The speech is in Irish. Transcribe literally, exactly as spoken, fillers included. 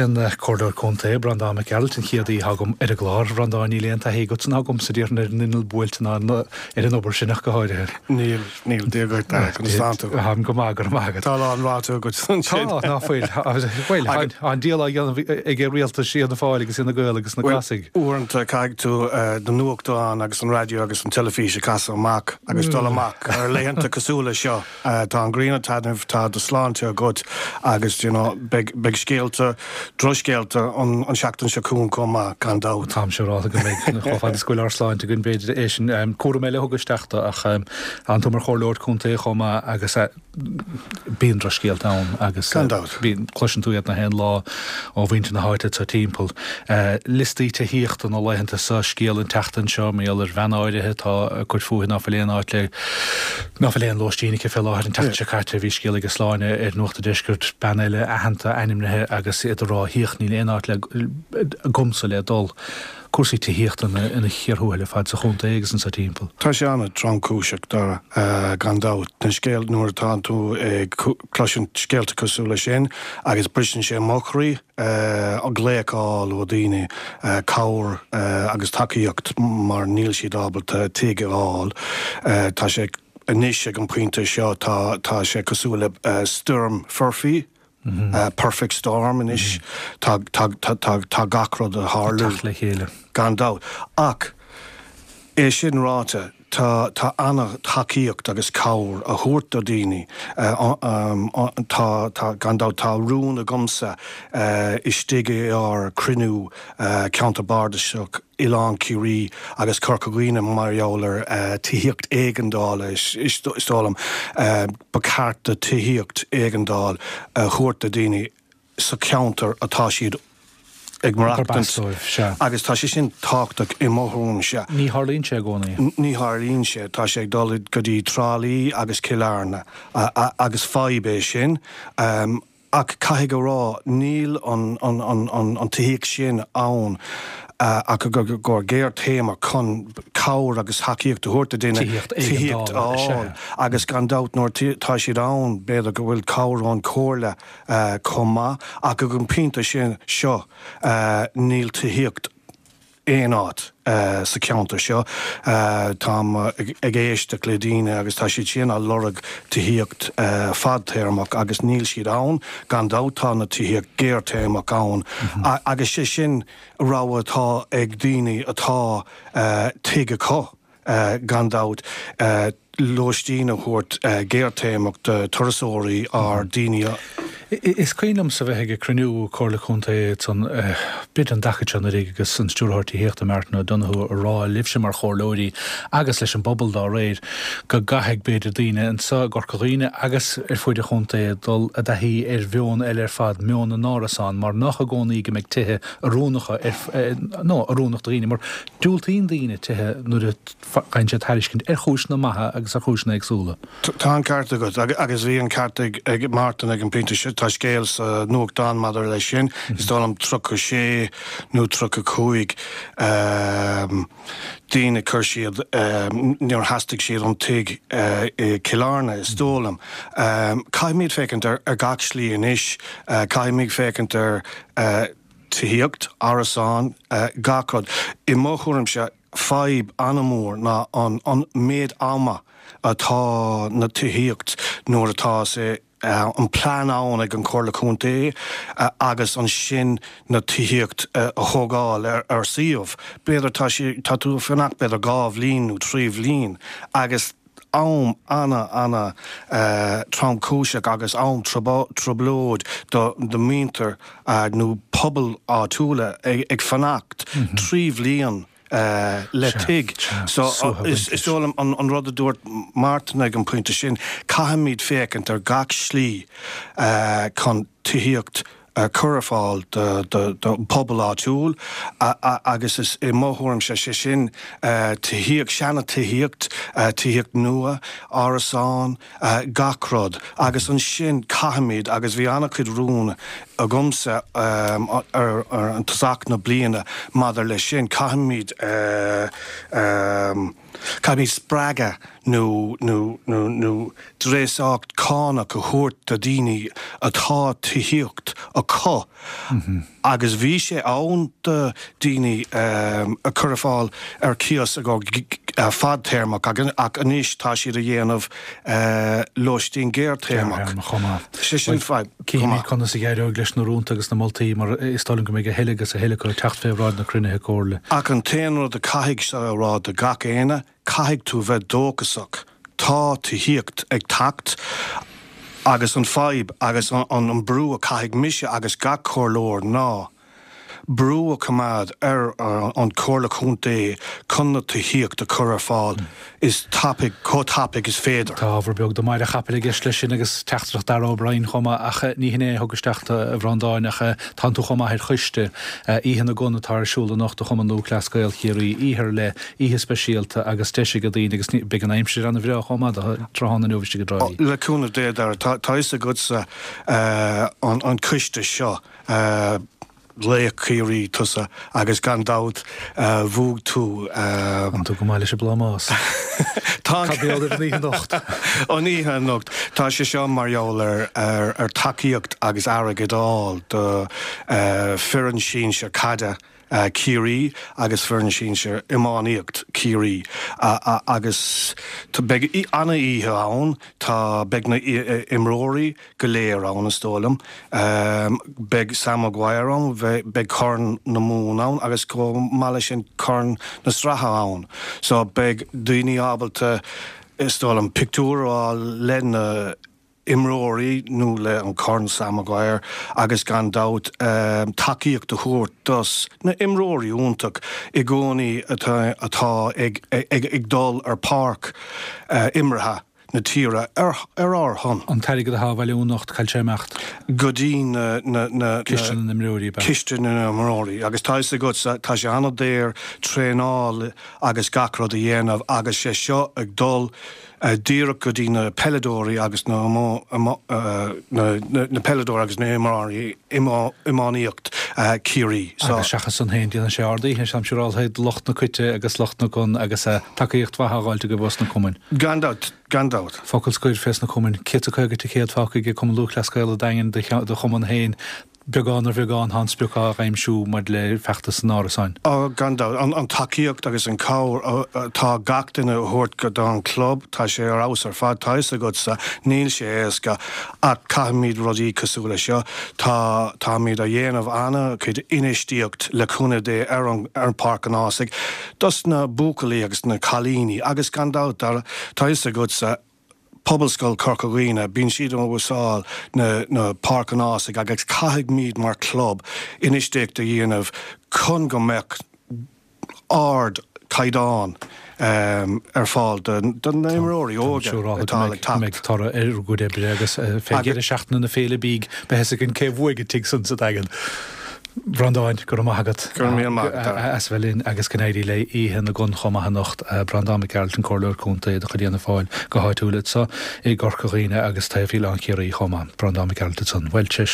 An Comhairleoir Contae, Breandán Mac Gearailt, an chéad aoi agam ar an gclár. Bhreandáin, níl aon taithí agatsa ná agamsa, déarfainn, ar an inneall buailte ná ar an obair sin ach go háirithe. Níl, níl, Dia dhuit, Dara, conas tánn tú? Táim go maith, go raibh maith agat. Tá a lán ráite agat ansin. Tá, ná fuil. Bhuel, tá an díol á dhéanamh ag rialtais Fhianna Fáil agus Fhine Gael agus na Glasaigh. Uaireanta caithfidh tú na nuachtáin agus an raidió agus an teilifís a chasadh amach agus dul amach ar laethanta cosúil le seo. Tá an ghrian ag taitneamh, tá do shláinte agat agus you know beidh beidh scéalta, drochscéalta an an seachtain seo chugainn chomh maith, gan dabht. Táim siúráilte go mbeidh, chomh fada is go bhfuil ár sláinte againn b'fhéidir é sin. Cúram eile a thug isteach do ach tánn tú mar chomhairleoir contae chomh maith agus bíonn drochscéalta ann agus Gan dabht. bíonn, cloiseann tú iad na haon lá ó mhuintir na háite atá timpeall. Liostaí tithíochta na laethanta seo, scéal an tseachtain seo, mar gheall ar bhean áirithe atá ag cur fúithi ná fuil aon áit le, ná fuil aon lóistín aici fé láthair. An tseachtain seo caite bhí scéal ag Sláine ar Nuacht an Deiscirt, bean eile aitheanta, ainmnithe agus iad ag rá thíoch níl aon áit le, agamsa le dul. Cúrsaí tithíochta ina chíor thuathail ar fad sa chontae agus anso timpeall. Tá sé an-tromchúiseach, Dara, gan dabht. Na scéal, nuair atá tú ag cloisint scéalta cosúil leis sin agus briseann sé mo chroí, glaoch a fháil ó daoine, cabhair agus tacaíocht mar níl siad ábalta tigh a fháil. Tá sé anois ag an pointe seo, tá tá sé cosúil le stoirm foirfe, perfect storm anois. Tá tá tá tá gach rud ag tarlú. Ag teacht le chéile. Gan dabht. Ach é sin ráite, tá tá an-tacaíocht agus cabhair a thabhairt do daoine. Tá tá gan dabht tá rún agamsa istigh i ár cruinniú ceantar bardasach Oileán Ciarraí agus Corca Dhuibhne mar gheall ar tithíocht éigeandála is dóigh liom ba cheart do tithíocht éigeandáil a thabhairt do daoine sa cheantar atá siad ag maireachtaint agus tá sé sin tábhachtach i mo thuairimse. Ní tharlaíonn sé i gcónaí. Ní tharlaíonn sé. Tá sé ag dul go dtí Trá Lí agus Cill Airne agus fadhb é sin. Ach caithfidh a rá, níl an tithíocht sin ann ach i gcomhair géarchéime chun cabhair agus tacaíocht a thabhairt do daoine tithíocht a fháil. Agus gan dabht nuair tá siad ann, b'fhéidir go bhfuil cabhair ón chomhairle chomh maith. Ach ag an pointe sin seo, níl tithíocht aon áit sa cheantar seo. Táim ag éisteacht le daoine agus tá siad sin á lorg tithíocht fadtéarmach agus níl siad ann. Gan dabht tá na tithíocht géartéarmach ann agus sé sin rogha atá ag daoine atá tigh acu. Gan dabht lóistín a thabhairt géartéarmach do turasóirí ár daoine a. Is cuimhin liomsa bheith ag cruinniú Comhairle Contae san b'fhéidir an dtaca seo anuraidh agus an Stiúrthóir Tithíochta Martin O'Donoghue a rá libhse mar chomhairleoirí agus leis an bpobal dá réir go gcaithfidh b'fhéidir daoine anseo i gCorca Dhuibhne agus ar fuaid an chontae dul i dtaithí ar mheon eile ar fad, meon na n-árasán mar nach i gcónaí go mbeidh tithe oiriúnacha ar nó oiriúnach do dhaoine mar diúltaíonn daoine tithe nuair a faigheann siad tairiscint ar chúiseanna maithe agus ar chúiseanna éagsúla. Tá an ceart agat agus bhí an ceart ag Martin ag an bpointe seo. Tá scéal sa nuachtán maidir leis sin, is dóigh liom tríocha sé nó tríocha cúig daoine chuir siad, níor theastaigh siad an tigh i Cill Airne, is dóigh liom. Caithfimid féachaint ar gach slí anois, caithfimid féachaint ar tithíocht, árasán, gach rud. I mo thuairimse, fadhb an-mhór ná an méid ama atá na tithíocht nuair atá sé an plean ann ag an Chomhairle Contae agus ansin na tithíocht a thógáil ar suíomh. B'fhéidir tá sé tá tú ag fanacht b'fhéidir dhá bhliain nó trí bhliain agus am ana ana tromchúiseach agus am trioblóid do do mhuintir nó pobal áitiúla ag fanacht trí bhliain le tigh. So is dóigh liom an rud a dúirt Martin ag an pointe sin, caithfimid féachaint ar gach slí chun tithíocht a chur ar fáil do pobal áitiúil agus is i mo thuairimse sé sin tithíocht, seana tithíocht, tithíocht nua, árasán, gach rud agus ansin caithfimid agus bhí an-chuid rún agamsa ar an tosach na bliana maidir leis sin, caithfimid Caithfimid spreagadh nó nó nó nó dreasacht cánach a thabhairt do daoine atá tithíocht acu agus bhí sé ann do daoine a chur ar fáil ar cíos a go fadtéarmach ach anois tá siad a dhéanamh lóistín gearrthéarmach. Sé sin fadhb. Cífimid conas a éireoidh leis na rúnta agus na moltaí mar is dóigh liom go mbeidh a thuilleadh agus a thuilleadh acu ag teacht fé bhráid na cruinnithe comhairle. Ach an t-aon rud a caithfidh sé a rá do gach éinne, caithfidh tú bheith dóchasach. Tá tithíocht ag teacht agus an fadhb agus an brú a caithfidh mise agus gach comhairleoir ná brú a choimeád ar an Chomhairle Contae chun na tithíocht a chur ar fáil is tapaidh, chomh tapaidh is féidir. Tá ábhar beag do mhaide chapaill i gceist leis sin agus teachtaireacht Darragh O'Brien chomh maith ach ní hin é a thug isteach tú, a Bhreandáin, ach tánn tú chomh maith ar choiste Oíche na gCon atá ar siúl anocht do Chumann Lúthchleas Gael Chiarraí, oíche ar leith, oíche speisialta agus deis ag daoine agus beidh an aimsir ana-bhreá chomh maith do tráthnóna inniu istigh i dTrá Lí. Le cúnamh Dé, Dara, tá a fhios agatsa an coiste seo. Laoch Chiarraí tusa agus gan dabht bhuaigh tú. Tánn tú go maith leis an bplámás. Tá. Cad a bheidh ar an oíche anocht? An oíche anocht. Tá sé seo mar gheall ar ar tacaíocht agus airgead a fháil do foireann sinsir caide Chiarraí agus foireann sinsir iománaíocht Chiarraí agus beidh ana-oíche ann. Tá beidh na imreoirí go léir ann, is dóigh liom. Beidh Sam Maguire ann, beidh Corn na Mumhan ann agus chomh maith leis sin Corn na Sraithe ann. So beidh daoine ábalta, is dóigh liom, pictiúr a fháil le na imreoirí nó le an Corn Sam Maguire agus gan dabht tacaíocht a thabhairt dos na imreoirí iontach i gcónaí atá atá ag ag dul ar páirc imeartha na tíre ar ár shon. An t-airgead atá á bhailiú anocht, cá bhfuil sé ag imeacht? Go dtí na, na, na, Ciste na n-imreoirí, ab ea? Ciste na n-imreoirí. Agus tá fhios agat, tá sé an-daor traenáil agus gach rud a dhéanamh agus sé seo ag dul díreach go dtí na peileadóirí agus na na peileadóirí agus na himreoirí iománaíocht Chiarraí. Agus seachas san féin, déanann sé ard-oíche, táim siúráltha, do lucht na coite agus lucht na gcon agus tacaíocht mhaith á dh'fháilt agaibh ós na cumainn. Gan dabht, gan dabht. Focal scoir fés na cumainn. Céad 's a caoga ticéad fágtha ag Cumann Lúthchleas Gael an Daingin do chumann féin. Beagán ar bheagán tá an sprioc á aimsiú maidir le feachtas an árasáin. Á, gan dabht. An tacaíocht agus an cabhair atá gach duine a thabhairt don chlub, tá sé ar fheabhas ar fad. Tá fhios agatsa, níl sé éasca ach caithfimid rudaí cosúil le seo. Tá, táimid a dhéanamh ana-chuid infheistíocht le cúnamh Dé ar an, ar Pháirc an Ághasaigh dos na buachaillí agus na cailíní agus gan dabht, tá fhios agatsa, Pobalscoil Chorca Dhuibhne, bíonn siad ag úsáid na na Páirc an Ághasaigh agus caithfimid mar chlub infheistíocht a dhéanamh chun go mbeadh ard caighdeán ar fáil do na imreoirí óga atá ag teacht. Mbeidh toradh ar a gcuid oibre agus fé dheireadh seachtaine na féile bídh beidh fhios againn cé bhuaigh an tigh san sa Daingean. Breandán, go raibh maith agat Go raibh míle maith agat, Dara. as a bheith linn agus go n-éirí le Oíche na gCon chomh maith anocht. Breandán Mac Gearailt, an Comhairleoir Contae de chuid Fhianna Fáil go háitiúil anseo i gCorca Dhuibhne agus taobh Oileán Chiarraí chomh maith. Breandán Mac Gearailt ansan. Bhuel, tar éis.